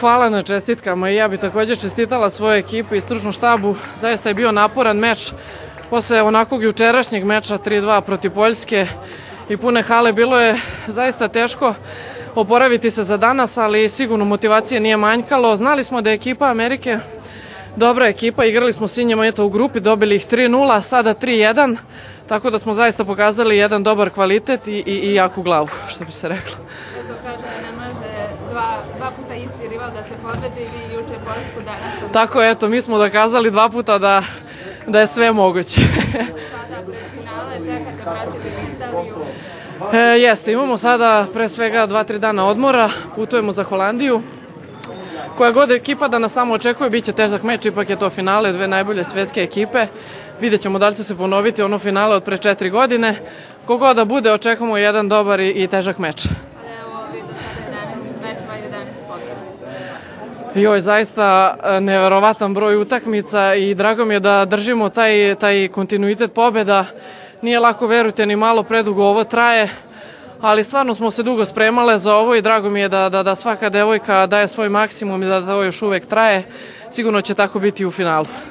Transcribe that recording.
hvala na čestitkama i ja bih također čestitala svojoj ekipi i stručnom štabu. Zaista je bio naporan meč. Posle onakvog jučerašnjeg meča 3-2 protiv Poljske i pune hale bilo je zaista teško oporaviti se za danas, ali sigurno motivacije nije manjkalo. Znali smo da je ekipa Amerike dobra ekipa, igrali smo s njima u grupi, dobili ih 3-0, sada 3-1, tako da smo zaista pokazali jedan dobar kvalitet i jaku glavu, što bi se reklo. To kaže da ne može dva puta isti rival da se pobedi, vi juče Poljsku danas. Tako, eto, mi smo dokazali 2 puta da je sve moguće. Sada pred finale čekate Brazil i Italiju. Jeste, imamo sada pre svega 2-3 dana odmora, putujemo za Holandiju. Koja god ekipa da nas tamo očekuje, bit će težak meč, ipak je to finale, 2 najbolje svetske ekipe. Vidjet ćemo da li će se ponoviti ono finale od pre 4 godine. Kogod da bude, očekujemo jedan dobar i težak meč. Ali evo, vi do sada 11 mečeva i 11 pobjeda. Joj, zaista neverovatan broj utakmica i drago mi je da držimo taj kontinuitet pobjeda. Nije lako, verujte, ni malo, predugo ovo traje. Ali stvarno smo se dugo spremale za ovo i drago mi je da svaka devojka daje svoj maksimum i da to još uvek traje. Sigurno će tako biti u finalu.